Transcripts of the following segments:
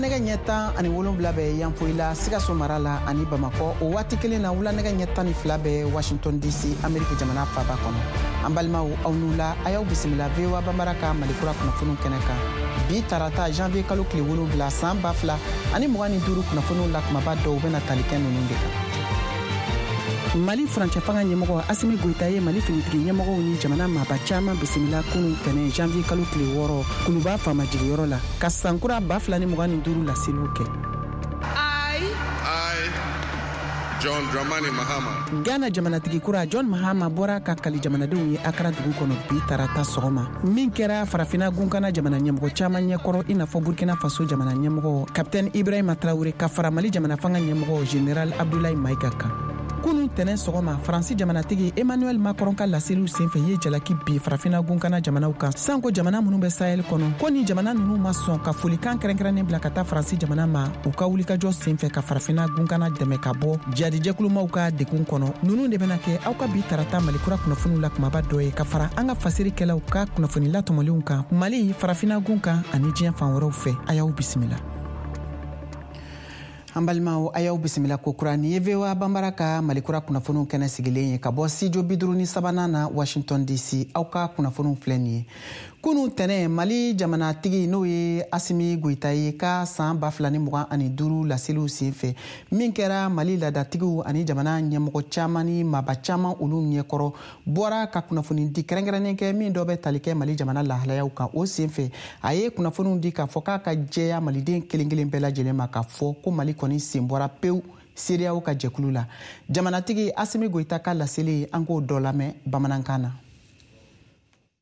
Wulanɛgɛ ɲɛ 17 bɛ Yanfolila, Sikaso mara la ani Bamakɔ. O waati kelen na, wulanɛgɛ ɲɛ 12 bɛ Washington DC, Ameriki jamana faba kɔnɔ. An balimaw, aw ni wula, a y'aw bisimila VOA Banbara ka Malikura kunnafoniw kɛnɛ kan. Bi tarata, janvier kalo tile 7, san 2025, kunnafoniw la kumaba dɔw bɛna tali kɛ ninnu de kan. Mali furancɛ fanga ɲɛmɔgɔ Asimi Goyita ye Mali finitigi ɲɛmɔgɔw ni jamana maaba caman bisimila kunu tɛnɛ, janvier kalo tile 6, Kuluba faamajigiyɔrɔ la, ka sankura 2025 laseliw kɛ. I, John Dramani Mahama. Ghana jamanatigi kura John Mahama bɔra ka kali jamanadenw ye Akara dugu kɔnɔ bi tarata sɔgɔma, min kɛra Farafina gunkana jamana ɲɛmɔgɔ caman ɲɛkɔrɔ, i n'a fɔ Burkina Faso jamana ɲɛmɔgɔ Kapitɛni Ibrahima Traore, ka fara Mali jamana fanga ɲɛmɔgɔ Général Abdoulaye Maïga kan. Kunu tɛnɛ sɔgɔma, Faransi jamanatigi Emmanuel Macron ka laseliw senfɛ ye jalaki bi Farafina gunkana jamanaw kan, sanko jamana minnu bɛ Sahel kɔnɔ, ko ni jamana ninnu ma sɔn ka folikan kɛrɛnkɛrɛnnen bila ka taa Faransi jamana ma u ka wulikajɔ senfɛ ka Farafina gunkana dɛmɛ ka bɔ jadijɛkulumaw ka degun kɔnɔ. Ninnu de bɛna kɛ aw ka bi tarata Malikura kunnafoniw la kumaba dɔ ye, ka fara an ka fasirikɛlaw ka kunnafoni latɔmɔlenw kan Mali, Farafina gun kan ani diɲɛ fan wɛrɛw fɛ. A y'aw bisimila. An balimaw, a y'aw bisimila kokura. Nin ye VOA Banbara ka Malikura kunnafoniw kɛnɛ sigilen ye ka bɔ studio 53nan na, Washington DC. Aw ka kunnafoniw filɛ nin ye. Kunu tɛnɛ, Mali jamanatigi, n'o ye Asimi Goyita ye, ka san 2025 laseliw senfɛ, min kɛra Mali laadatigiw ani jamana ɲɛmɔgɔ caman ni maaba caman olu ɲɛkɔrɔ, bɔra ka kunnafoni di kɛrɛnkɛrɛnnen kɛ, min dɔ bɛ tali kɛ Mali jamana lahalayaw kan. O senfɛ, a ye kunnafoniw di k'a fɔ k'a ka jɛya maliden kelen kelen bɛɛ lajɛlen ma k'a fɔ ko Mali kɔni sen bɔra pewu CEDEAO ka jɛkulu la. Jamanatigi Asimi Goyita ka laseli, an k'o dɔ lamɛn bamanankan na.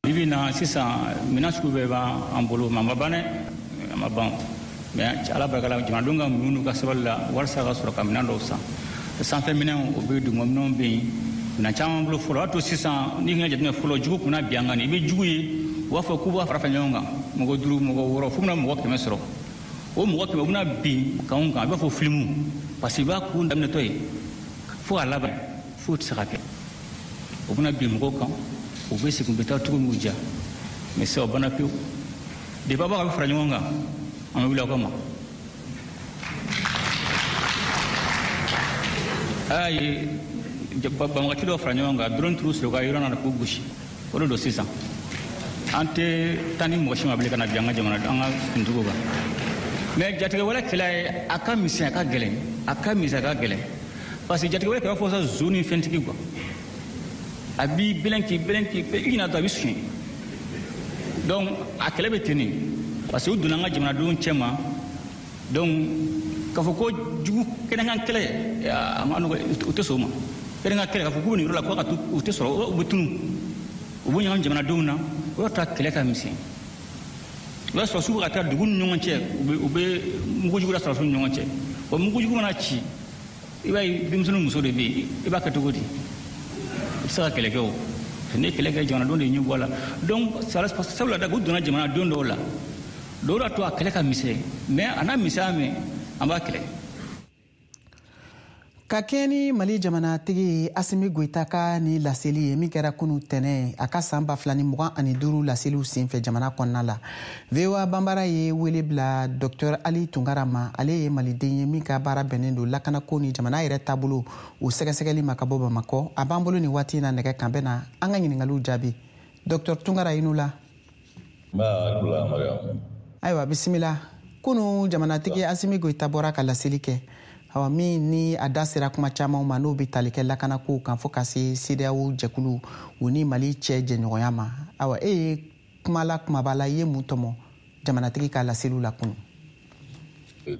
Bibi na sisan, minɛn sugu bɛɛ b'an bolo, mais a ma ban dɛ, a ma ban. Mais Ala barika la, jamanadenw ka muɲu n'u ka sabali la, walasa ka sɔrɔ ka minɛn dɔw san. Sanfɛ minɛnw, o bɛ, duguma minɛnw bɛ yen, minɛn caman bolo fɔlɔ. O y'a to sisan, n'i ka jateminɛ fɔlɔ, jugu kunna bi an kan, i bɛ jugu ye, u b'a fɔ k'u b'a fara fara ɲɔgɔn kan, mɔgɔ duuru, mɔgɔ wɔɔrɔ, f'u bɛna mɔgɔ 100 sɔrɔ. O mɔgɔ 100, u bɛna bin kanw kan, a b'a fɔ filimu, parce que i b'a kun daminɛtɔ ye fo k'a laban, foyi tɛ se ka kɛ. U bɛna bin mɔgɔw kan, u bɛ segin, u bɛ taa cogo min diya. Mais sisan, o banna pewu. Depuis aw b'a fara ɲɔgɔn kan, an bɛ wuli aw kama. A y'a ye banbagaci dɔw fara ɲɔgɔn kan, drone turu sɔrɔ ka yɔrɔ na k'u gosi. O de don sisan, an tɛ taa ni mɔgɔ si ma bilen ka na bin an ka jamana, an ka finitigiw kan. Mais jatigɛwale kɛlɛ ye, a ka misɛn, a ka gɛlɛn, a ka misɛn, a ka gɛlɛn, parce que jatigɛwale kɛlɛ fɔ sa, zo ni fɛntigi quoi, a b'i bɛlɛn, k'i bɛlɛn, k'i i ɲina dɔrɔn, a bɛ suɲɛ. Donc a kɛlɛ bɛ ten de, parce que u donna an ka jamanadenw cɛ ma. Donc k'a fɔ ko jugu kɛnɛkan kɛlɛ, a ma nɔgɔ, u tɛ sɔn o ma. Kɛnɛkan kɛlɛ, k'a fɔ k'u bɛ nin yɔrɔ la, ko ka to, u tɛ sɔrɔ, u bɛ tunu, u bɛ ɲagami jamanadenw na. O y'a to a kɛlɛ ka misɛn. O y'a sɔrɔ su bɛ ka taa dugu ni ɲɔgɔn cɛ, u bɛ mugujugu la sɔrɔsiw ni ɲɔgɔn cɛ. O mugujugu mana ci, i b'a ye denmisɛnnin, muso de bɛ yen, i b'a kɛ cogo di? I bɛ se ka kɛlɛ kɛ? O ni kɛlɛ kɛ, jamanadenw de ɲɛ bɔ a la. Donc sabula da u donna jamanadenw dɔw la, dɔw la to a kɛlɛ ka misɛn, mais a n'a misɛnya mɛn, an b'a kɛlɛ. Ka kɛɲɛ ni Mali jamanatigi Asimi Goyita ka ni laseli ye, min kɛra kunu tɛnɛ, a ka san 2025 laseliw senfɛ jamana kɔnɔna la, VOA Banbara ye wele bila Dr Ali Tunkara ma. Ale ye maliden ye min ka baara bɛnnen don lakanako ni jamana yɛrɛ taabolo o sɛgɛsɛgɛli ma, ka bɔ Bamakɔ. A b'an bolo nin waati na nɛgɛ kan, bɛna an ka ɲiningaliw jaabi. Dr Tunkara, i n'u la. Ayiwa, bisimila. Kunu, jamanatigi Asimi Goyita bɔra ka laseli kɛ, awa, min ni a da sera kuma camanw ma, n'o bɛ tali kɛ lakanakow kan, fo ka se CEDEAO jɛkulu u ni Mali cɛ jɛɲɔgɔnya ma. Awa, e ye kuma la kumaba la, i ye mun tɔmɔ jamanatigi ka laseliw la kunu?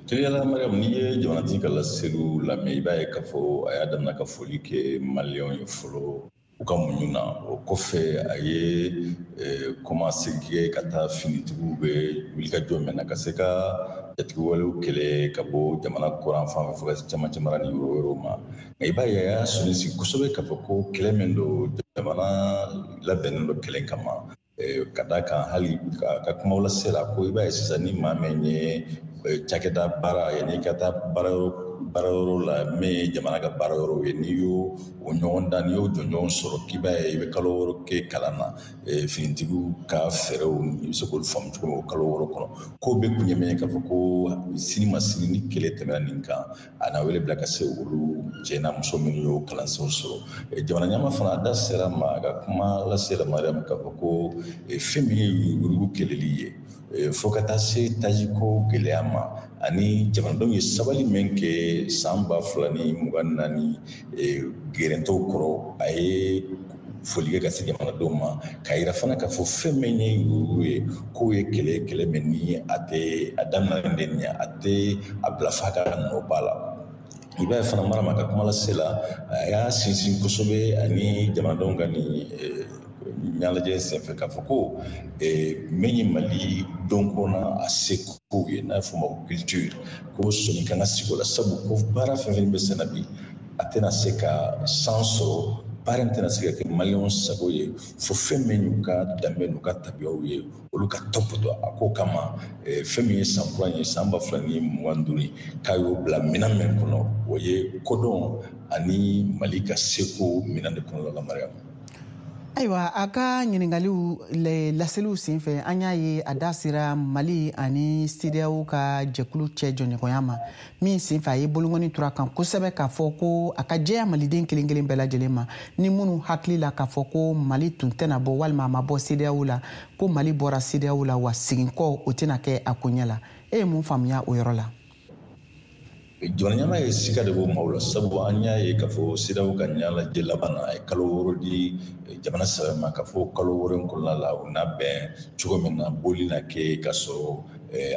Teliyala Mariam, n'i ye jamanatigi ka laseliw lamɛn, i b'a ye k'a fɔ a y'a daminɛ ka foli kɛ maliyɛnw ye fɔlɔ u ka muɲu na. O kɔfɛ, a ye kɔmasegin kɛ ka taa finitigiw bɛ wulikajɔ min na ka se ka jatigɛwalew kɛlɛ ka bɔ jamana kɔrɔn fan fɛ fo ka se cɛmancɛ mara ni yɔrɔ wɛrɛw ma. Nka i b'a ye, a y'a sɔnni sigi kosɛbɛ k'a fɔ ko kɛlɛ min don, jamana labɛnnen don kɛlɛ kama, ka d'a kan hali ka kumaw lase la ko i b'a ye sisan, ni maa min ye cakɛda baara, yanni i ka taa baara yɔrɔ Baarayɔrɔ la, min ye jamana ka baarayɔrɔw ye, n'i y'o o ɲɔgɔn dan, n'i y'o jɔnjɔn sɔrɔ, k'i b'a ye i bɛ kalo 6 kɛ kalan na, finitigiw ka fɛɛrɛw, i bɛ se k'olu faamu cogo min o kalo 6 kɔnɔ. Ko bɛɛ kun ye min ye, k'a fɔ ko sini ma sini, ni kɛlɛ tɛmɛna nin kan, a na wele bila ka se olu cɛ n'a muso minnu y'o kalansenw sɔrɔ. Jamana ɲɛmaa fana, a da sera ma a ka kuma lase la, Mariam, k'a fɔ ko fɛn min ye yuruguyurugu kɛlɛli ye, fo ka taa se tajiko gɛlɛya ma, ani jamanadenw ye sabali min kɛ san 2024 gɛrɛntɛw kɔrɔ, a ye foli kɛ ka se jamanadenw ma, k'a yira fana k'a fɔ fɛn min ye yuruguyurugu ye, k'o ye kɛlɛ, kɛlɛ min ni a tɛ a daminɛ de nin ye, a tɛ a bila f'a ka nɔ ba la. I b'a ye fana, Marama ka kuma lase la, a y'a sinsin kosɛbɛ ani jamanadenw ka nin ɲɛnajɛ senfɛ, k'a fɔ ko min ye Mali dɔnko na a seko ye, n'a fɔ ma ko culture, ko sɔnni kan ka sigi o la, sabu ko baara fɛn fɛn bɛ senna bi, a tɛna se ka san sɔrɔ, baara in tɛna se ka kɛ Maliyɛnw sago ye fo fɛn min y'u ka danbe n'u ka tabiyaw ye, olu ka tɔpɔtɔ. A ko kama, fɛn min ye san kura ye, san 2025, k'a y'o bila minɛn min kɔnɔ, o ye kodɔn ani Mali ka seko minɛn de kɔnɔna la, Mariam. Ayiwa, a ka ɲiningaliw laseliw senfɛ, an y'a ye a da sera Mali ani CEDEAO ka jɛkulu cɛ jɔɲɔgɔnya ma min senfɛ, a ye bolongɔni tura kan kosɛbɛ, k'a fɔ ko a ka jɛya maliden kelen kelen bɛɛ lajɛlen ma, ni minnu hakili la k'a fɔ ko Mali tun tɛna bɔ walima a ma bɔ CEDEAO la, ko Mali bɔra CEDEAO la, wa segin kɔ o tɛna kɛ a koɲɛ la. E ye mun faamuya o yɔrɔ la? Jamana ɲɛmaa ye sika de bɔ maaw la, sabu an y'a ye k'a fɔ CEDEAO ka ɲɛnajɛ laban na, a ye kalo 6 di jamana saba ma, k'a fɔ kalo 6 in kɔnɔna la, u n'a bɛn cogo min na, boli na kɛ ka sɔrɔ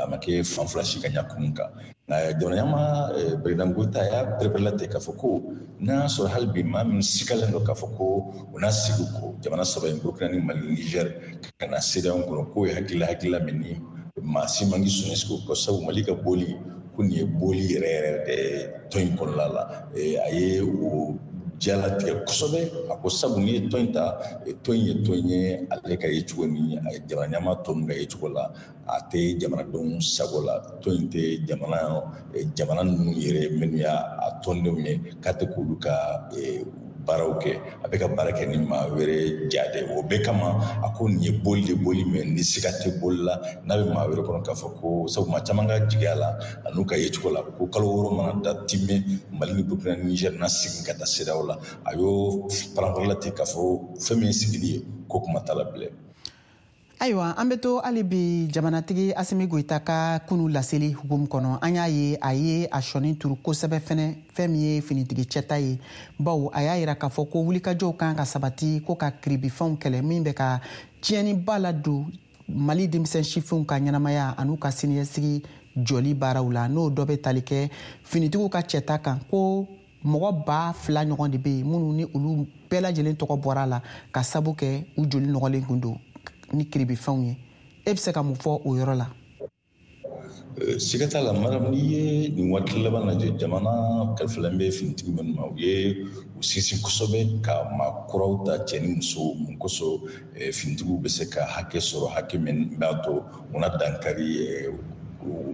a ma kɛ fan fila si ka ɲɛ kun kan. Nka jamana ɲɛmaa président Goïta y'a pɛrɛpɛrɛla ten k'a fɔ ko n'a y'a sɔrɔ hali bi maa min sikalen don k'a fɔ ko u n'a sigi ko jamana saba in, Burukina ni Mali, Niger, ka na CEDEAO kɔnɔ, k'o ye hakilila min ni maa si man k'i sɔnni sigi o kɔ, sabu Mali ka boli ko nin ye boli yɛrɛ yɛrɛ de tɔn in kɔnɔna la. A ye o jalatigɛ kosɛbɛ. A ko sabu n'i ye tɔn in ta, tɔn in ye tɔn ye, ale ka ye cogo ni jamana ɲɛmaa tɔ ninnu ka ye cogo la, a tɛ jamanadenw sago la. Tɔn in tɛ jamana ninnu yɛrɛ minnu y'a tɔndenw ye, k'a tɛ k'olu ka baaraw kɛ, a bɛ ka baara kɛ ni maa wɛrɛ ja de. O bɛɛ kama, a ko nin ye boli de, boli min ni siga tɛ boli la, n'a bɛ maa wɛrɛ kɔnɔ k'a fɔ ko, sabu maa caman ka jigiya la a n'u ka yecogo la, ko kalo 6 mana da timɛ, Mali ni Burukina ni Niger na segin ka taa CEDEAO la. A y'o paranparala ten k'a fɔ fɛn min ye sigili ye, ko kuma t'a la bilen. Ayiwa, an bɛ to hali bi jamanatigi Asimi Goyita ka kunu laseli hukumu kɔnɔ. An y'a ye a ye a sɔnni turu kosɛbɛ fɛnɛ fɛn min ye finitigi cɛta ye, bawo a y'a yira k'a fɔ ko wulikajɔw kan ka sabati ko ka kiribifɛnw kɛlɛ min bɛ ka tiɲɛniba ladon Mali denmisɛn sifinw ka ɲɛnamaya an'u ka siniɲɛsigi jɔli baaraw la, n'o dɔ bɛ tali kɛ finitigiw ka cɛta kan, ko mɔgɔ 2000 ɲɔgɔn de bɛ yen minnu ni olu bɛɛ lajɛlen tɔgɔ bɔra a la ka sabu kɛ u joli nɔgɔlen kun don ni kiribifɛnw ye. E bɛ se ka mun fɔ o yɔrɔ la? Siga t'a la, Mariam, n'i ye nin waati laban lajɛ, jamana kalifalen bɛ finitigi minnu ma, u ye u sinsin kosɛbɛ ka maa kuraw ta, cɛ ni muso, mun kosɔn finitigiw bɛ se ka hakɛ sɔrɔ, hakɛ min b'a to u na dankari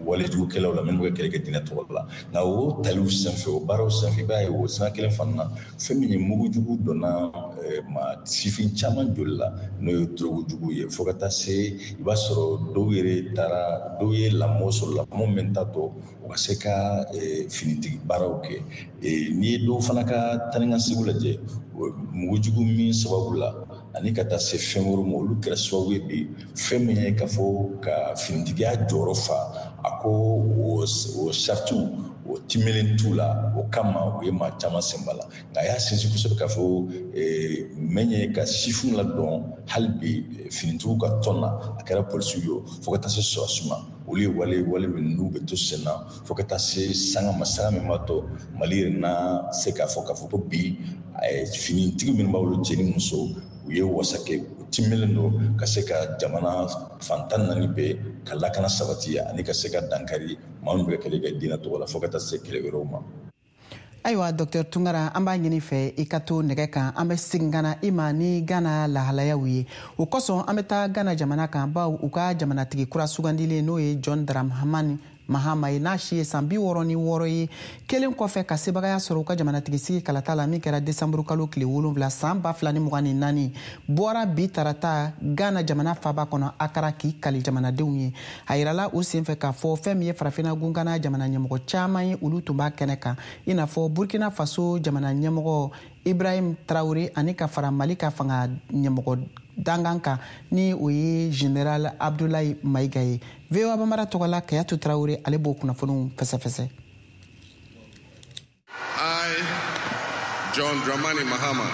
walejugukɛlaw la minnu bɛ kɛlɛ kɛ diinɛ tɔgɔ la. Nka o taliw senfɛ, o baaraw senfɛ, i b'a ye o sira kelen fana na, fɛn min ye mugujugu donna maa sifin caman joli la, n'o ye dɔrɔgujugu ye, fo ka taa se i b'a sɔrɔ dɔw yɛrɛ taara, dɔw ye lamɔ sɔrɔ, lamɔ min t'a to u ka se ka finitigi baaraw kɛ. N'i ye dɔw fana ka taa ni ka segin lajɛ mugujugu min sababu la ani ka taa se fɛn wɛrɛ ma, olu kɛra sababu ye bi fɛn min ye k'a fɔ ka finitigiya jɔyɔrɔ fa, a ko o saritiw o timelen t'u la, o kama u ye maa caman sen b'a la. Nka a y'a sinsin kosɛbɛ k'a fɔ min ye ka sifinw ladɔn hali bi finitigiw ka tɔn na, a kɛra polisiw ye fo ka taa se sɔrɔdasiw ma, olu ye wale min n'u bɛ to sen na fo ka taa se sanga ma, sanga min b'a to Mali yɛrɛ na se k'a fɔ ko bi finitigi minnu b'a bolo, cɛ ni muso, u ye wasa kɛ, u timelen don ka se ka jamana fan 14 bɛɛ ka lakana sabati ani ka se ka dankari maa minnu bɛ kɛlɛ kɛ diinɛ tɔgɔ la, fo ka taa se kɛlɛ wɛrɛw ma. Ayiwa, Dr Tunkara, an b'a ɲini fɛ i ka to nɛgɛ kan, an bɛ segin ka na i ma ni Gana lahalayaw ye. O kosɔn, an bɛ taa Gana jamana kan, bawo u ka jamanatigi kura sugandilen, n'o ye John Dramani. Mahama ye, n'a si ye san 66 ye, kelen kɔfɛ ka sebagaya sɔrɔ u ka jamanatigisigi kalata la min kɛra desanburu kalo tile 7 san 2024, bɔra bi tarata Ghana jamana faba kɔnɔ Akara k'i kali jamanadenw ye. A yirala o senfɛ k'a fɔ fɛn min ye farafinna gunkana jamana ɲɛmɔgɔ caman ye, olu tun b'a kɛnɛ kan, i n'a fɔ Burkina Faso jamana ɲɛmɔgɔ Ibrahim Traoré, ani ka fara Mali ka fanga ɲɛmɔgɔ dangan kan, ni o ye Général Abdoulaye Maïga ye. VOA Bambara tɔgɔ la, Kayatu Traoré ale b'o kunnafoniw fɛsɛfɛsɛ. I, John Dramani Mahama,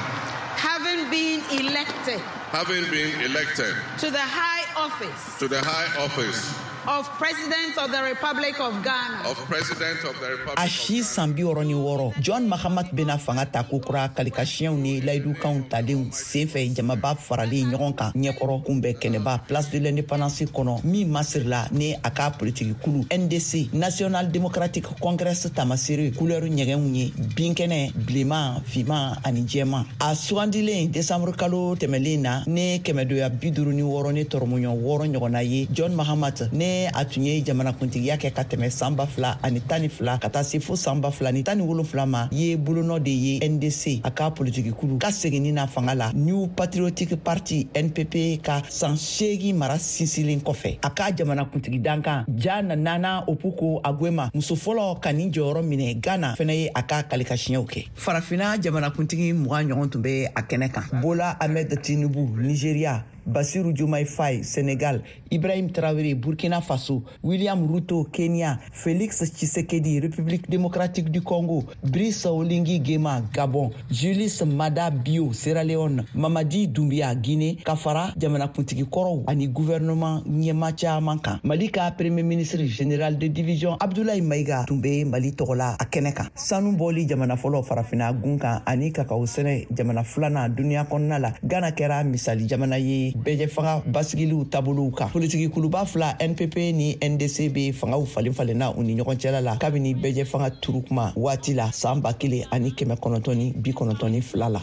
having been elected, having been elected to the high office, to the high office of President of the Republic of Ghana, of President of the Republic A si san 66, John Mahamat bena fanga ta kokura kalikasiyɛnw ni layidukanw talenw senfɛ, jamaba faralen ɲɔgɔn kan ɲɛkɔrɔ kunbɛn kɛnɛba Place de l'Indépendance kɔnɔ, min masirila ni a ka politiki kulu NDC, National Democratic Congress, tamasere couleur ɲɛgɛnw ye: binkɛnɛ, bilenman, finman ani jɛman. A sugandilen desanburu kalo tɛmɛlen na ni kɛmɛdoya 56 ni tɔrɔmɔɲɔ 6 ɲɔgɔnna ye, John Mahamat ne a tun ye jamanakuntigiya kɛ ka tɛmɛ san 2012 ka taa se fo san 2017 ma, ye bolonɔ de ye NDC, a ka politikikulu ka seginni na fanga la, New Patriotic Party, NPP, ka san 8 mara sinsinlen kɔfɛ. A ka jamanakuntigi dankan Jane Nana Opoku Agyemang, muso fɔlɔ ka nin jɔyɔrɔ minɛ Ghana, fɛnɛ ye a ka kalikasiɲɛw kɛ. Farafina jamanakuntigi 20 ɲɔgɔn tun bɛ a kɛnɛ kan: Bola Ahmed Tinubu, Nigeria; Bassirou Diomaye Faye, Sénégal; Ibrahim Traoré, Burkina Faso; William Ruto, Kenya; Félix Tshisekedi, République démocratique du Congo; Brice Oligui Nguema, Gabon; Julius Maada Bio, Sierra Leone; Mamadi Doumbia, Guinée, ka fara jamanakuntigi kɔrɔw ani gouvernement ɲɛma caman kan. Mali ka Premier ministre, général de division Abdoulaye Maïga, tun bɛ Mali tɔgɔ la a kɛnɛ kan. Sanu bɔli jamana fɔlɔ farafinna gun kan ani kakaw sɛnɛ jamana filanan duniya kɔnɔna la, Ghana kɛra misali jamana ye bɛɛjɛ fanga basigiliw taabolow kan. Politiki kuluba fila, NPP ni NDC, bɛ fangaw falen falenna u ni ɲɔgɔn cɛla la kabini bɛɛjɛ fanga turu kuma waati la san 1992 la.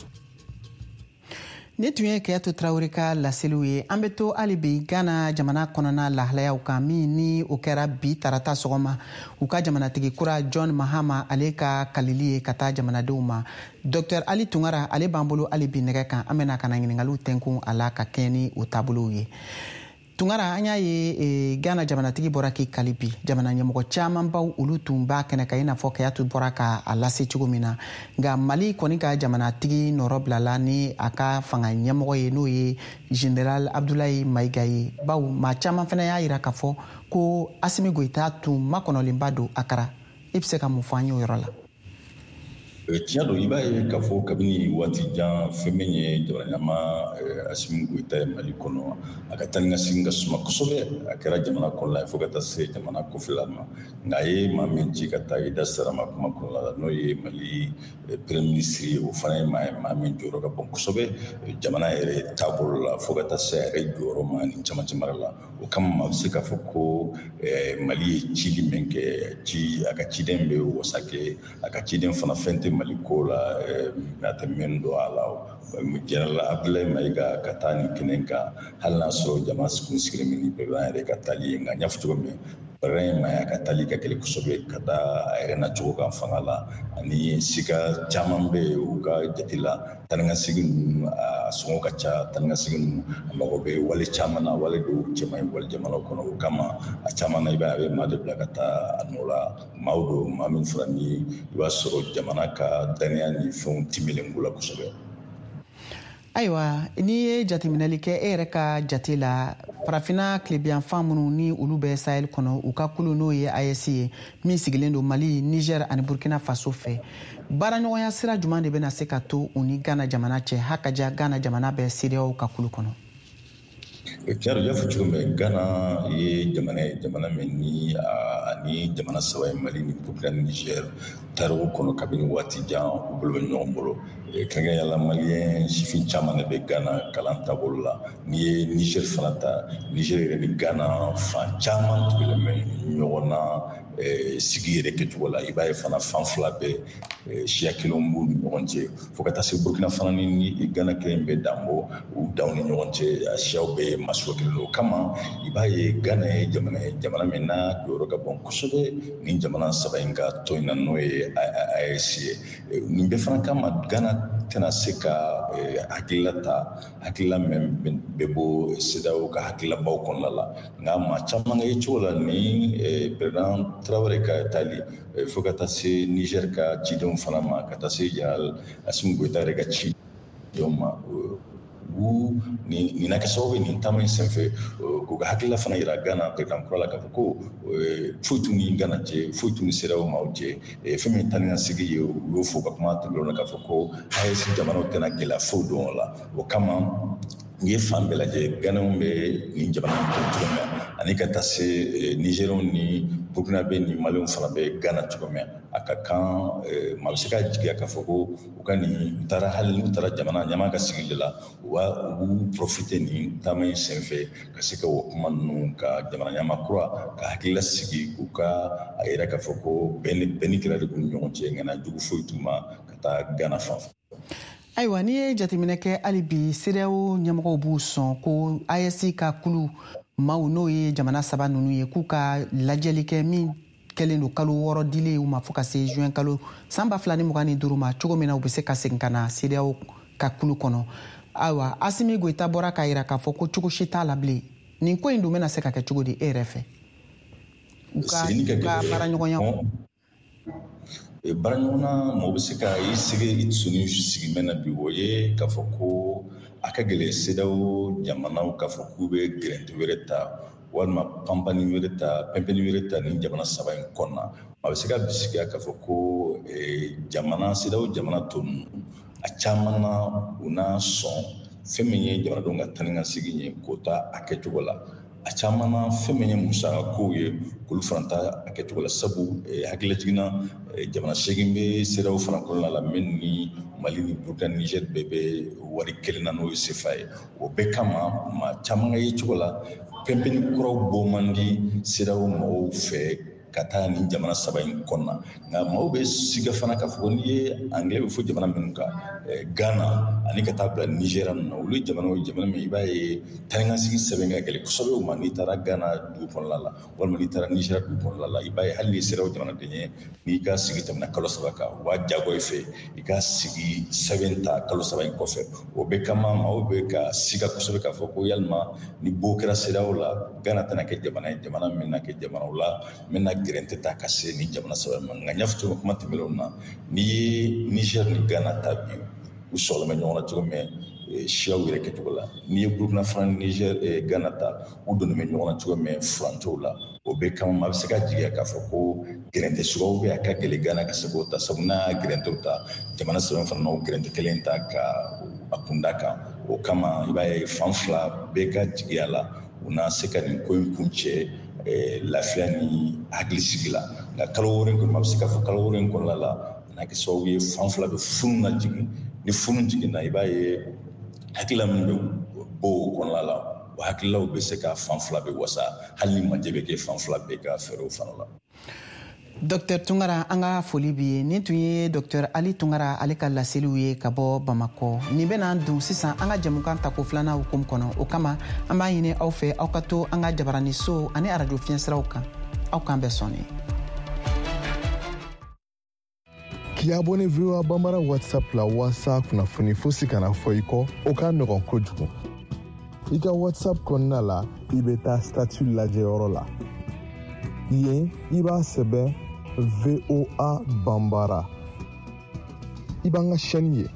Ne tun ye Kayatu Tarawele ka laseliw ye. An bɛ to hali bi Ghana jamana kɔnɔna lahalayaw kan, min ni o kɛra bi tarata sɔgɔma, u ka jamanatigi kura John Mahama ale ka kalili ye ka taa jamanadenw ma. Dr Ali Tunkara ale b'an bolo hali bi nɛgɛ kan. An bɛna ka na ɲiningaliw tɛnkun a la ka kɛɲɛ ni o taabolow ye. Tunkara, an y'a ye Ghana jamanatigi bɔra k'i kali bi. Jamana ɲɛmɔgɔ camanbaw olu tun b'a kɛnɛ kan, i n'a fɔ Kayatu bɔra ka a lase cogo min na. Nka Mali kɔni ka jamanatigi nɔrɔ bilala ni a ka fanga ɲɛmɔgɔ ye, n'o ye Général Abdoulaye Maïga ye, baw maa caman fana y'a yira k'a fɔ ko Asimi Goyita tun makɔnɔlenba don Akara. I bɛ se ka mun fɔ an ye o yɔrɔ la? Tiɲɛ don, i b'a ye k'a fɔ kabini waati jan, fɛn min ye jamana ɲɛmaa Asimi Goyita ye Mali kɔnɔ, a ka taa ni ka segin ka suma kosɛbɛ. A kɛra jamana kɔnɔna ye fo ka taa se jamana kɔfɛla ma. Nka a ye maa min ci ka taa, i da sera ma kuma kɔnɔna la, n'o ye Mali Premier ministre ye, o fana ye maa ye, maa min jɔyɔrɔ ka bon kosɛbɛ jamana yɛrɛ taabolo la fo ka taa se a yɛrɛ jɔyɔrɔ ma nin camancɛ mara la. O kama, maa bɛ se k'a fɔ ko Mali ye cili min kɛ, ci a ka ciden bɛ wasa kɛ, a ka ciden fana fɛn tɛ Mali ko la a tɛ min don a la. Général Abdoulaye Maïga ka taa nin kɛnɛ kan, hali n'a sɔrɔ jama kun sigilen bɛ ni président yɛrɛ ka taali ye, nka n y'a fɔ cogo min, président ye maa ye a ka taali ka gɛlɛn kosɛbɛ ka da a yɛrɛ nacogo kan fanga la, ani sika caman bɛ yen u ka jate la. Taa ni ka segin ninnu a sɔngɔ ka ca, taa ni ka segin ninnu a mago bɛ wale caman na, wale dɔw cɛ man ɲi wale jamanaw kɔnɔ. O kama, a caman na, i b'a ye a bɛ maa de bila ka taa a nɔ la, maaw don, maa min fana ni i b'a sɔrɔ jamana ka danaya ni fɛnw timɛlen b'u la kosɛbɛ. Ayiwa, n'i ye jateminɛli kɛ, e yɛrɛ ka jate la, Farafinna tilebiyanfan minnu ni olu bɛ Sahel kɔnɔ, u ka kulu n'o ye AES ye, min sigilen don Mali, Niger ani Burkina Faso fɛ, baaraɲɔgɔnya sira jumɛn de bɛna se ka to u ni Ghana jamana cɛ, hakaja Ghana jamana bɛ CEDEAO ka kulu kɔnɔ? Tiɲɛ don, i y'a fɔ cogo min, Ghana ye jamana ye, jamana min ni ani jamana saba ye, Mali ni Burkina ni Niger, tariku kɔnɔ kabini waati jan u bolo bɛ ɲɔgɔn bolo. Kɛrɛnkɛrɛnnenya la, Maliyɛn sifin caman de bɛ Ghana kalan taabolo la. N'i ye Niger fana ta, Niger yɛrɛ ni Ghana fan caman tugulen bɛ ɲɔgɔn na. sigi yɛrɛ kɛcogo la. I b'a ye fana fan fila bɛɛ siya kelenw b'u ni ɲɔgɔn cɛ, fo ka taa se Burkina fana ni Ghana kelen bɛ dan bɔ u danw ni ɲɔgɔn cɛ, a siyaw bɛɛ ye masuwa kelen. O kama i b'a ye Ghana ye jamana ye, jamana min n'a jɔyɔrɔ ka bon kosɛbɛ nin jamana saba in ka tɔn in na, n'o ye AES ye. Nin bɛɛ fana kama Ghana tɛna se ka hakilila ta, hakilila min bɛ bɔ CEDEAO ka hakililabaw kɔnɔna la. Nka maa caman ka ye cogo la ni président Traoré ka taali fo ka taa se Niger ka cidenw fana ma, ka taa se général Assimi Goïta yɛrɛ ka cidenw ma, u nin na kɛ sababu ye nin taama in senfɛ k'u ka hakilila fana yira Ghana président kura la k'a fɔ ko foyi t'u ni Ghana cɛ, foyi t'u ni CEDEAO maaw cɛ. Fɛn min ye taa ni ka segin ye, u y'o fɔ ka kuma tɛmɛnenw na k'a fɔ ko AES jamanaw tɛna gɛlɛya foyi don o la. O kama n'i ye fan bɛɛ lajɛ, Ghanaiens bɛ nin jamana in kɔnɔ cogo min na, ani ka taa se Nigériens ni Burkinabé ni Maliens fana bɛ Ghana cogo min na, a ka kan maa bɛ se ka jigiya k'a fɔ ko u ka nin u taara, hali n'u taara jamana ɲɛmaa ka sigi de la, u b'u profiter nin taama in senfɛ ka se ka o kuma ninnu ka jamana ɲɛmaa kura ka hakilila sigi, k'u ka a yira k'a fɔ ko bɛn ni kɛlɛ de b'u ni ɲɔgɔn cɛ, ŋana jugu foyi t'u ma ka taa Ghana fan fɛ. Ayiwa, n'i ye jateminɛ kɛ hali bi, CEDEAO ɲɛmɔgɔw b'u sɔn ko AES ka kulu maaw, n'o ye jamana saba ninnu ye, k'u ka lajɛli kɛ min kɛlen don kalo 6 dilen u ma fo ka se juin kalo san 2025 ma, cogo min na u bɛ se ka segin ka na CEDEAO ka kulu kɔnɔ. Ayiwa, Assimi Goïta bɔra k'a yira k'a fɔ ko cogo si t'a la bilen. Nin ko in dun bɛna se ka kɛ cogo di e yɛrɛ fɛ, u ka baaraɲɔgɔnya? Baaraɲɔgɔnna, mɔgɔ bɛ se ka i sigi i dusu sigi mɛn na bi, o ye k'a fɔ ko a ka gɛlɛn CEDEAO jamanaw k'a fɔ k'u bɛ gɛrɛntɛ wɛrɛ ta walima panpani wɛrɛ ta, pɛnpɛnni wɛrɛ ta nin jamana saba in kɔnɔna. A bɛ se ka bisigiya k'a fɔ ko jamana CEDEAO jamana tɔ ninnu, a caman na u n'a sɔn fɛn min ye jamanadenw ka taa ni ka segin ye k'o ta a kɛcogo la. A caman na fɛn min ye musakakow ye, k'olu fana ta a kɛcogo la, sabu hakilila jiginna jamana 8 bɛ CEDEAO fana kɔnɔna la min ni Mali ni Burkina, Niger bɛɛ bɛ wari kelen na, n'o ye CFA ye. O bɛɛ kama maa caman ka ye cogo la, pɛnpɛnni kuraw bɔ man di CEDEAO mɔgɔw fɛ ka taa nin jamana saba in kɔnɔna. Nka maaw bɛ siga fana k'a fɔ n'i ye anglais bɛ fɔ jamana minnu kan, Ghana ani ka taa bila Niger ninnu na, olu ye jamanaw ye, jamana min i b'a ye taa ni ka segin sɛbɛn ka gɛlɛn kosɛbɛ u ma. N'i taara Ghana dugu kɔnɔna la walima n'i taara Niger dugu kɔnɔna la, i b'a ye hali n'i sera o jamanaden ye, n'i ka sigi tɛmɛna kalo 3 kan, u b'a diyagoya i fɛ i ka sigi sɛbɛn ta kalo 3 in kɔfɛ. O bɛɛ kama maaw bɛ ka siga kosɛbɛ k'a fɔ ko yalima ni bo kɛra CEDEAO la, Ghana tɛna kɛ jamana ye, jamana min na kɛ jamanaw la min na gɛrɛntɛ ta ka se nin jamana saba ma. Nka n y'a fɔ cogo min kuma tɛmɛnenw na, n'i ye Niger ni Ghana ta bi, u sɔgɔlen bɛ ɲɔgɔn na cogo min siyaw yɛrɛ kɛcogo la. N'i ye Burkina fana ni Niger Ghana ta, u donnen bɛ ɲɔgɔn na cogo min furancɛw la. O bɛɛ kama maa bɛ se ka jigiya k'a fɔ ko gɛrɛntɛ suguyaw bɛ a ka gɛlɛn Ghana ka se k'o ta, sabu n'a y'a gɛrɛntɛw ta, jamana saba fana n'o gɛrɛntɛ kelen ta ka a kunda kan. O kama i b'a ye fan fila bɛɛ ka jigiya la u na se ka nin ko in kuncɛ lafiya ni hakilisigi la. Nka kalo 6 in kɔnɔ, a bɛ se k'a fɔ kalo 6 in kɔnɔna la, a na kɛ sababu ye fan fila bɛ funu na jigin. Ni funu jiginna, i b'a ye hakilila min bɛ bɔ o kɔnɔna la, o hakililaw bɛ se ka fan fila bɛ wasa, hali ni majɛ bɛ kɛ fan fila bɛɛ ka fɛɛrɛw fana la. Dr Tunkara, an ka foli b'i ye. Nin tun ye Dr Ali Tunkara ale ka laseliw ye ka bɔ Bamakɔ. Nin bɛna don sisan an ka jɛmukan tako filanan hukumu kɔnɔ. O kama an b'a ɲini aw fɛ, aw ka to an ka jabaraniso ani arajo fiɲɛsiraw kan. Aw k'an bɛɛ sɔnni. K'i abonné VOA Bambara WhatsApp la walasa kunnafoni fosi kana fɔ i kɔ, o ka nɔgɔn kojugu. I ka WhatsApp kɔnɔna la, i bɛ taa statut lajɛyɔrɔ la. Yen, i b'a sɛbɛn VOA Bambara. I b'an ka chaîne ye.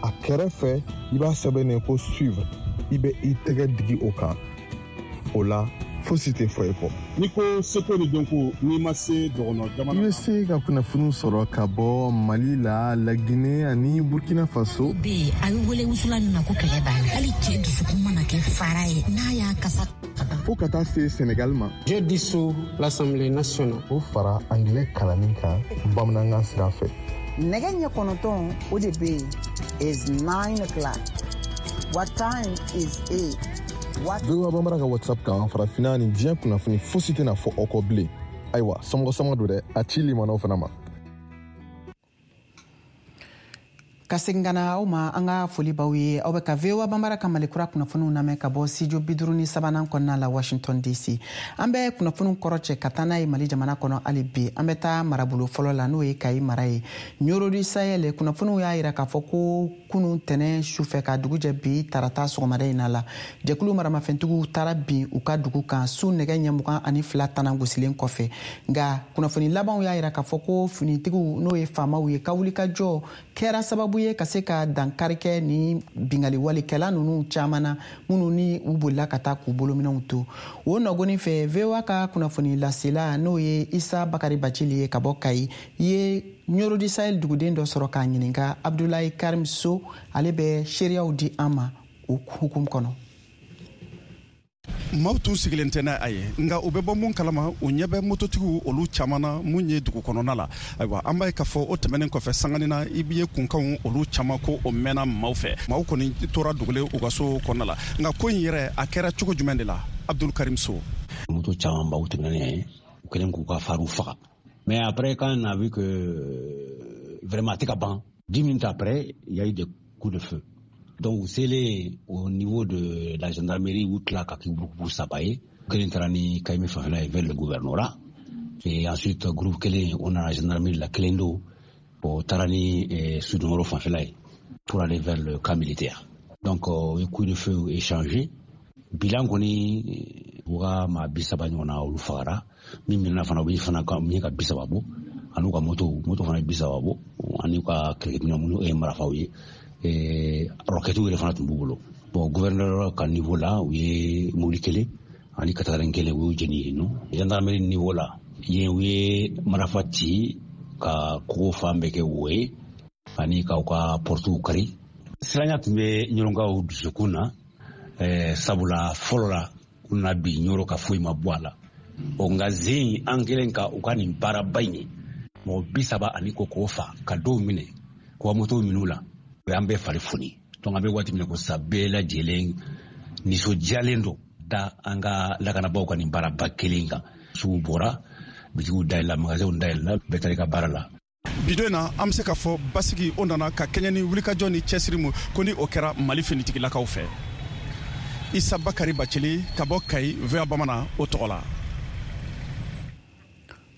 A kɛrɛfɛ, i b'a sɛbɛnnen ko suivre. I bɛ i tɛgɛ digi o kan. O la, fosi tɛ fɔ i kɔ. N'i ko seko ni dɔnko, n'i ma se dɔgɔnɔ jamana I bɛ se ka kunnafoniw sɔrɔ ka bɔ Mali la, Laginɛ ani Burkina Faso. Bɛ yen, a bɛ wele wusulan min ma ko kɛlɛ b'a la, hali cɛ dusukun mana kɛ fara ye n'a y'a kasa. Fo ka taa se Senegal ma. Je dissous l'Assemblée nationale. O fara anglais kalanni kan bamanankan sira fɛ. Nɛgɛ ɲɛ 9, o de bɛ yen, is 9 o'clock. What time is it? What VOA Bambara ka WhatsApp kan, farafinna ni diɲɛ kunnafoni fosi tɛna fɔ aw kɔ bilen. Ayiwa, somɔgɔ sama don dɛ, a ci limanaw fana ma. Ka segin ka na aw ma, an ka foli baw ye. Aw bɛ ka VOA Banbara ka Malikura kunnafoniw lamɛn ka bɔ studio 53nan kɔnɔna la, Washington DC. An bɛ kunnafoniw kɔrɔ cɛ ka taa n'a ye Mali jamana kɔnɔ. Hali bi an bɛ taa marabolo fɔlɔ la, n'o ye Kayi mara ye. Ɲoro du Sahel, kunnafoniw y'a yira k'a fɔ ko kunun tɛnɛ sufɛ ka dugu jɛ bi tarata sɔgɔmada in na la, jɛkulu maramafɛntigiw taara bin u ka dugu kan su nɛgɛ ɲɛ 22 tanan gosilen kɔfɛ. Nka kunnafoni labanw y'a yira k'a fɔ ko finitigiw, n'o ye faamaw ye, ka wulikajɔ kɛra sababu ye ka se ka dankari kɛ ni bingali walikɛla ninnu caman na, minnu ni u bolila ka taa k'u bolominɛw to. O nɔgɔni fɛ, VOA ka kunnafoni lasela, n'o ye Isa Bakari Bacili ye ka bɔ Kayi, ye Ɲoro du Sahel duguden dɔ sɔrɔ k'a ɲininka, Abdulayi Karim So. Ale bɛ seereyaw di an ma o hukumu kɔnɔ. Maaw tun sigilen tɛ n'a a ye, nka u bɛ bɔ mun kalama, u ɲɛ bɛ mototigiw olu caman na mun ye dugu kɔnɔna la. Ayiwa, an b'a ye k'a fɔ o tɛmɛnen kɔfɛ, sanganin na, i ye kunkanw olu caman ko o mɛnna maaw fɛ. Maaw kɔni tora dogolen u ka so kɔnɔna la. Nka ko in yɛrɛ, a kɛra cogo jumɛn de la? Abdul Karim So. Moto caman baw tɛmɛnen ye, u kɛlen k'u ka faru faga. Mais après, quand on a vu que vraiment a tɛ ka ban, 10 minutes après, il y a eu des coups de feu. Donc selen au niveau de la gendarmerie, u tila ka kɛ groupe saba ye. Kelen taara ni Kayime fanfɛla ye vers le gouvernorat, et ensuite groupe kelen, o nana gendarmerie la, kelen don o taara ni Sudongoro fanfɛla ye pour aller vers le camp militaire. Donc o ye coup de feu échangé. Bilan kɔni, u ka maa 30 ɲɔgɔnna olu fagara. Min minɛna fana, u bɛ fana min ka 30 bɔ, ani u ka moto fana ye 30 bɔ, ani u ka kɛlɛkɛminɛn minnu ye marifaw ye, rɔkɛtiw yɛrɛ fana tun b'u bolo. Bon, gouverneur ka niveau la, u ye mobili kelen ani katakarin kelen, u y'u jeni yen nɔ. Gendarmerie niveau la yen, u ye marifa ci ka kogo fan bɛɛ kɛ wo ye, ani k'aw ka portiw kari. Siranya tun bɛ ɲɔrɔnkaw dusukun na, sabula fɔlɔ la, u nana bi Ɲɔrɔ ka foyi ma bɔ a la. O nka zen an kɛlen ka u ka nin baaraba in ye, mɔgɔ 30 ani ko k'o fa, ka dɔw minɛ k'u ka motow minɛ u la, o y'an bɛɛ fari foni. Donc an bɛ waati min na ko sisan, bɛɛ lajɛlen nisɔndiyalen don da an ka lakanabaaw ka nin baaraba kelen kan. Sugu bɔra, bitigiw dayɛlɛla, magasinw dayɛlɛla, bɛɛ taara i ka baara la. Bidon na, an bɛ se k'a fɔ basigi o nana ka kɛɲɛ ni wulikajɔ ni cɛsiri mu ko ni o kɛra Mali finitigilakaw fɛ. Isa Bakari Bacili ka bɔ Kayi, VOA Bamanan o tɔgɔ la.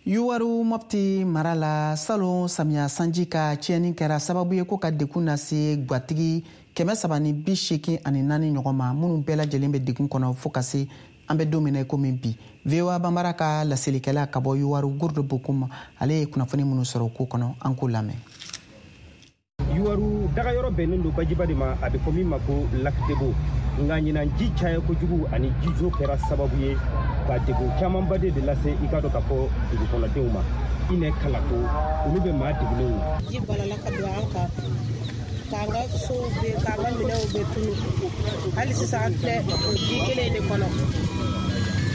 Yuwaru Mɔpti mara la, salon samiya sanji ka tiɲɛni kɛra sababu ye ko ka dekun lase gwatigi 384 ɲɔgɔn ma, minnu bɛɛ lajɛlen bɛ degun kɔnɔ fo ka se an bɛ don min na i komi bi. VOA Banbara ka laselikɛla ka bɔ Yuwaru, Gurdo Bokum, ale ye kunnafoni minnu sɔrɔ o ko kɔnɔ, an k'o lamɛn. Yuwaru dagayɔrɔ bɛnnen don bajiba de ma, a bɛ fɔ min ma ko Lac Debo. Nka ɲinan, ji caya kojugu ani jijo kɛra sababu ye ka degun camanba de lase, i k'a dɔn k'a fɔ, dugu kɔnɔdenw ma. Inɛ Kalato, olu bɛ maa degunenw. Ji balala ka don an kan, k'an ka sow bɛ, k'an ka minɛnw bɛ tunu. Hali sisan, an filɛ o ji kelen de kɔnɔ.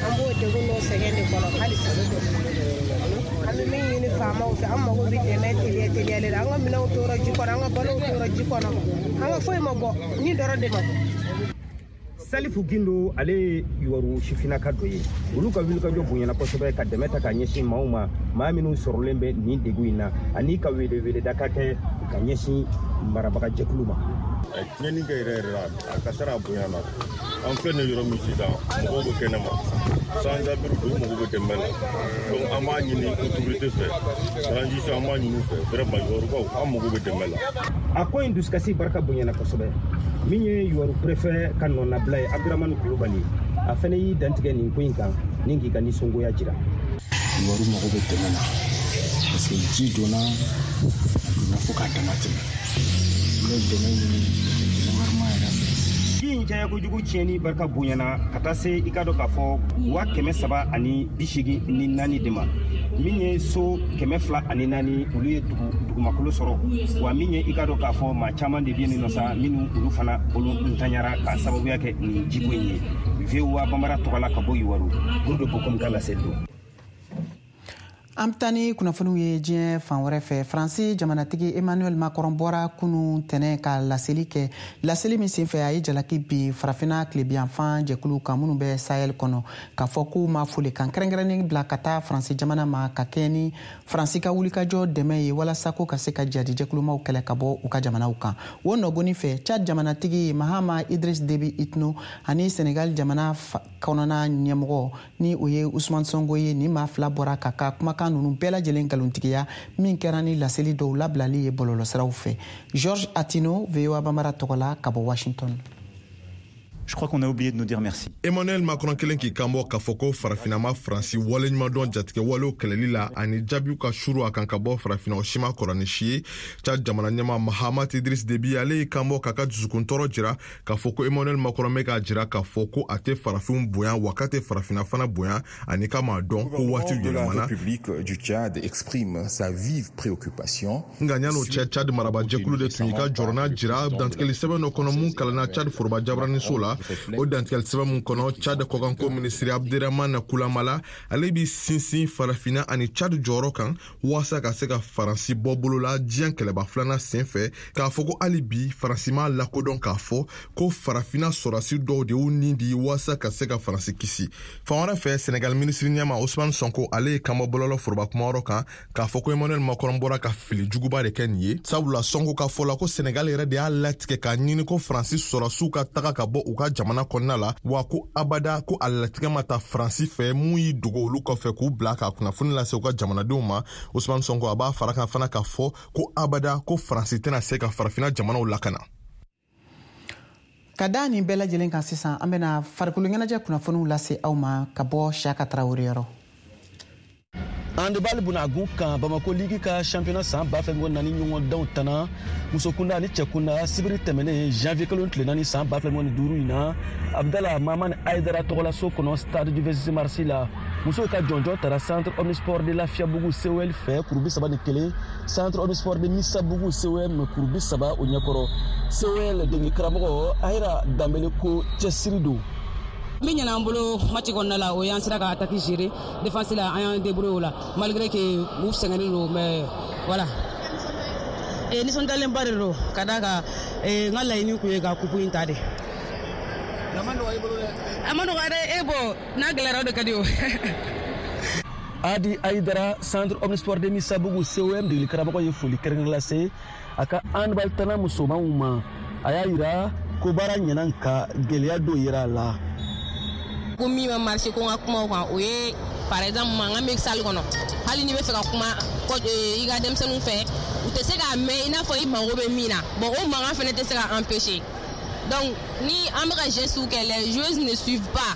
An b'o degun n'o sɛgɛn de kɔnɔ hali sisan. An bɛ min ɲini faamaw fɛ, an mago bɛ dɛmɛ teliya teliyalen la. An ka minɛnw tora ji kɔnɔ, an ka balow tora ji kɔnɔ, an ka foyi ma bɔ, ni dɔrɔn de ma bɔ. Salifu Gindo, ale ye Yuwaru sifinnaka dɔ ye. Olu ka wulikajɔ bonyana kosɛbɛ ka dɛmɛ ta ka ɲɛsin maaw ma, maa minnu sɔrɔlen bɛ nin degun in na, ani ka weleweleda ka kɛ ka ɲɛsin marabaga jɛkulu ma. Tiɲɛni kɛ yɛrɛ yɛrɛ la, a kasara a bonyana. An filɛ nin yɔrɔ min sisan, mɔgɔw bɛ kɛnɛma, sans-abri don, mago bɛ dɛmɛ la. Donc an b'a ɲini autorité fɛ, transition, an b'a ɲini u fɛ vraiment, Yuwarukaw, an mago bɛ dɛmɛ la. A ko in dusukasi barika bonyana kosɛbɛ. Min ye Yuwaru préfet ka nɔnabila ye, Abdramani Kulubali, a fɛnɛ y'i dantigɛ nin ko in kan ni k'i ka nisɔngoya jira. Yuwaru mago bɛ dɛmɛ na, parce que ji donna, a donna fo k'a dama tɛmɛ. N bɛ dɛmɛ ɲini gouvernement yɛrɛ fɛ. Ji in caya kojugu, tiɲɛni barika bonyana ka taa se, i k'a dɔn k'a fɔ, 384 de ma. Min ye so 204, olu ye dugumakolo sɔrɔ. Wa min ye, i k'a dɔn k'a fɔ, maa caman de bɛ yen nɔ sa, minnu olu fana bolo ntanyara k'a sababuya kɛ nin jiko in ye. VOA Bambara tɔgɔ la ka bɔ Yuwaru, Gurdo Bokum ka laseli don. An bɛ taa ni kunnafoniw ye diɲɛ fan wɛrɛ fɛ. Faransi jamanatigi Emmanuel Macron bɔra kunu tɛnɛ ka laseli kɛ, laseli min senfɛ a ye jalaki bin Farafina tilebiyanfan jɛkuluw kan minnu bɛ Sahel kɔnɔ, k'a fɔ k'u ma folikan kɛrɛnkɛrɛnnen bila ka taa Faransi jamana ma ka kɛɲɛ ni Faransi ka wulikajɔ dɛmɛ ye walasa ko ka se ka jihadi jɛkulumaw kɛlɛ ka bɔ u ka jamanaw kan. O nɔgɔni fɛ, Tchad jamanatigi Mahama Idriss Déby Itno ani Senegal jamana kɔnɔna ɲɛmɔgɔ ni o ye Ousmane Sonko ye, ni maa fila bɔra ka ka kumakan ninnu bɛɛ lajɛlen nkalontigiya min kɛra ni laseli dɔw labilali ye bɔlɔlɔsiraw fɛ. George Atino, VOA Bambara tɔgɔ la ka bɔ Washington. Je crois qu'on a oublié de nous dire merci. Emmanuel Macron kelen k'i kanbɔ k'a fɔ ko Farafinna ma Faransi waleɲumandɔn jatigɛ walew kɛlɛli la ani jaabiw ka suru a kan ka bɔ Farafinna, o si ma kɔrɔ ni si ye. Tchad jamana ɲɛma Mahamat Idriss Déby, ale y'i kanbɔ k'a ka dusukuntɔɔrɔ jira k'a fɔ ko Emmanuel Macron bɛ k'a jira k'a fɔ ko a tɛ farafinw bonya, wa k'a tɛ Farafinna fana bonya, ani k'a m'a dɔn ko waati yɛlɛmana. République du Tchad exprime sa vive préoccupation. Nka yan'o cɛ, Tchad marabajɛkulu de tun y'i ka jɔrɔna jira dantigɛli sɛbɛn dɔ kɔnɔ mun kalanna Tchad foroba jabaraniso la. O dantigɛli sɛbɛn mun kɔnɔ, Tchad kɔkanko minisiri Abderrahmane Koulamallah, ale bi sinsin Farafinna ani Tchad jɔyɔrɔ kan waasa ka se ka Faransi bɔ bolo la diɲɛ kɛlɛba filanan sen fɛ, k'a fɔ ko hali bi Faransi m'a lakodɔn k'a fɔ ko Farafinna sɔrɔdasi dɔw de y'u nin di waasa ka se ka Faransi kisi. Fan wɛrɛ fɛ, Senegal minisiri ɲɛma Ousmane Sonko, ale ye kanbɔ bɔlɔlɔ foroba kumayɔrɔ kan k'a fɔ ko Emmanuel Macron bɔra ka fili juguba de kɛ nin ye, sabula Sonko ka fɔ la ko Senegal yɛrɛ de y'a latigɛ k'a ɲini ko Faransi sɔrɔdasiw ka taga ka bɔ u ka jamana kɔnɔna la, wa ko abada ko a latigɛ ma ta Faransi fɛ mun y'i dogo olu kɔfɛ k'u bila ka kunnafoni lase u ka jamanadenw ma. Ousmane Sonko, a b'a fara kan fana k'a fɔ ko abada ko Faransi tɛna se ka Farafinna jamanaw lakana. Ka da nin bɛɛ lajɛlen kan, sisan an bɛna farikolo ɲɛnajɛ kunnafoniw lase aw ma ka bɔ Siyaka Tarawele yɔrɔ. Handball bunagun kan, Bamako Ligue ka championnat san 2024 ɲɔgɔndanw tana musokunda ani cɛkunda sibiri tɛmɛnen janvier kalo tile 4 san 2025 in na, Abdala Mamani Aidara tɔgɔlaso kɔnɔ, stade du 26 mars la. Musow ka jɔnjɔn tara Centre Omnisport de Lafiyabugu COL fɛ kuru 31, Centre Omnisport de Misabugu COM kuru 30 o ɲɛkɔrɔ. COL degeli karamɔgɔ Ayira Danbele ko cɛsiri don. Min ɲɛna an bolo match kɔnɔna la, o y'an sera ka attaque gérer, défense la an y'an débrouiller o la, malgré que u sɛgɛnnen don, mais voilà. Nisɔndiyalenba de don ka d'a kan n ka laɲini kun ye ka coupe in ta de. A ma nɔgɔ i bolo dɛ. A ma nɔgɔ dɛ, e bɔ n'a gɛlɛyara o de ka di o. Adi Aidara, Centre Omnisport de Misabugu COM degeli karamɔgɔ ye foli kɛrɛnkɛrɛn lase a ka handball tana musomanw ma. A y'a yira ko baara ɲɛna nka gɛlɛya dɔw yera a la. Ko min ma marché, ko n ka kuma o kan, o ye par exemple mankan bɛ salle kɔnɔ. Hali n'i bɛ fɛ ka kuma i ka denmisɛnninw fɛ, u tɛ se k'a mɛn i n'a fɔ i mago bɛ min na. Bon, o mankan fana tɛ se ka empêcher. Donc ni an bɛ ka gestes kɛ, les joueuses ne suivent pas,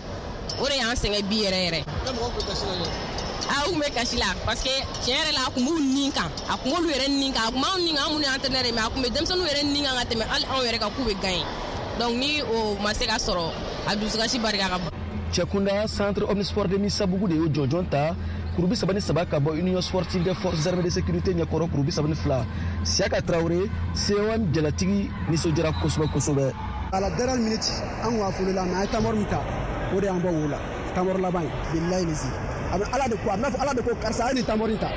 o de y'an sɛgɛn bi yɛrɛ yɛrɛ. A u tun bɛ kasi la parce que tiɲɛ yɛrɛ la, a tun b'u nin kan, a tun b'olu yɛrɛ nin kan, a tun b'anw nin kan, an minnu ye entraîneur ye, mais a tun bɛ denmisɛnninw yɛrɛ nin kan ka tɛmɛ hali anw yɛrɛ kan k'u bɛ gagner. Donc ni o ma se ka sɔrɔ, a dusukasi barika ka bon. Cɛkunda, Centre Omnisport de Misabugu de y'o jɔnjɔn ta kuru 33 ka bɔ Union Sportive des Forces Armées de Sécurité ɲɛkɔrɔ kuru 32. Siyaka Tarawele, COM jalatigi, nisɔndiyara kosɛbɛ kosɛbɛ. À la dernière minute, an kun affolé la, mais an ye temps mort min ta, o de y'an bɔ wo la. Temps mort laban ye, bilahi lezi. A bɛ Ala de ko, a bɛ n'a fɔ Ala de ko karisa a ye nin temps mort in ta.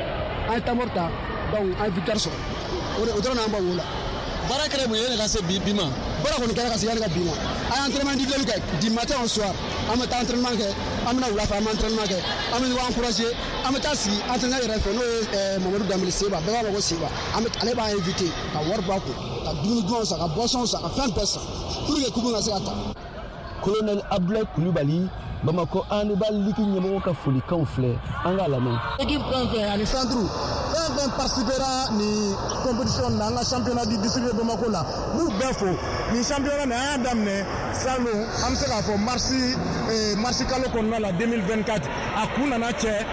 An ye temps mort ta, donc an ye victoire sɔrɔ. O de o dɔrɔn y'an bɔ wo la. Baara kɛra mun ye ne ka se bi ma? Baara kɔni kɛra ka se yanni ka bi ma. An ye entraînement individuel kɛ du matin au soir. An bɛ taa entraînement kɛ, an bɛna wula fɛ an bɛ entraînement kɛ, an bɛ ɲɔgɔn encourager, an bɛ taa sigi entraîneur yɛrɛ fɛ, n'o ye Mamadu Danbele Seba, bɛɛ b'a fɔ ko Seba. An bɛ ale b'an invité ka wari bɔ a kun, ka dumuni dumanw san, ka boisson san, ka fɛn bɛɛ san pour que coupe ka se ka ta. Colonel Abdoulaye Coulibaly, Bamakɔ handball ligue ɲɛmɔgɔ ka folikanw filɛ, an k'a lamɛn. Équipe fɛn fɛn ani centre fɛn fɛn participera nin compétition na, an ka championnat du district de Bamako la, n b'u bɛɛ fo. Nin championnat nin, an y'a daminɛ salon, an bɛ se k'a fɔ marsi kalo kɔnɔna la 2024, a kun nana cɛ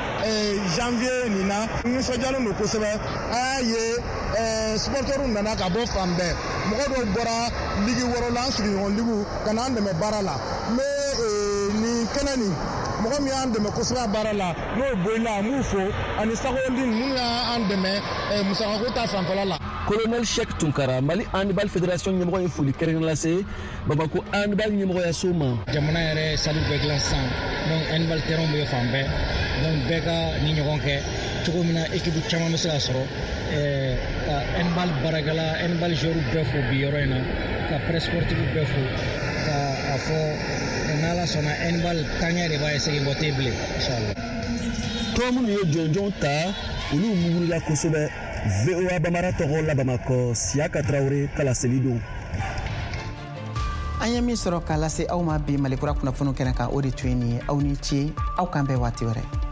janvier nin na. N nisɔndiyalen don kosɛbɛ. An y'a ye supporters nana ka bɔ fan bɛɛ, mɔgɔ dɔw bɔra ligue wɔɔrɔ la, an sigiɲɔgɔn ligue, ka n'an dɛmɛ baara la. N bɛ nin kɛnɛ nin, mɔgɔ min y'an dɛmɛ kosɛbɛ a baara la, n'o ye Boyila, an b'u fo, ani Sakondi minnu y'an dɛmɛ musakako ta fanfɛla la. Colonel Cheikh Tunkara, Mali Handball Fédération ɲɛmɔgɔ ye foli kɛrɛnkɛrɛn lase Bamako handball ɲɛmɔgɔyaso ma. Jamana yɛrɛ sallew bɛɛ dilan sisan, donc handball terrain bɛ fan bɛɛ, donc bɛɛ ka ni ɲɔgɔn kɛ cogo min na équipe caman bɛ se ka sɔrɔ. Ka handball baarakɛla, handball joueur bɛɛ fo bi yɔrɔ in na, ka presse sportive bɛɛ fo, ka a fɔ n'Ala sɔnna handball taaɲɛ de b'a ye, segin kɔ tɛ bilen, inchallah. Tɔn minnu ye jɔnjɔnw ta, olu mugurila kosɛbɛ. VOA Bambara tɔgɔ la Bamakɔ, Siyaka Tarawele ka laseli don. An ye min sɔrɔ k'a lase aw ma bi Malikura kunnafoniw kɛnɛ kan, o de tun ye nin ye. Aw ni ce, aw k'an bɛn waati wɛrɛ.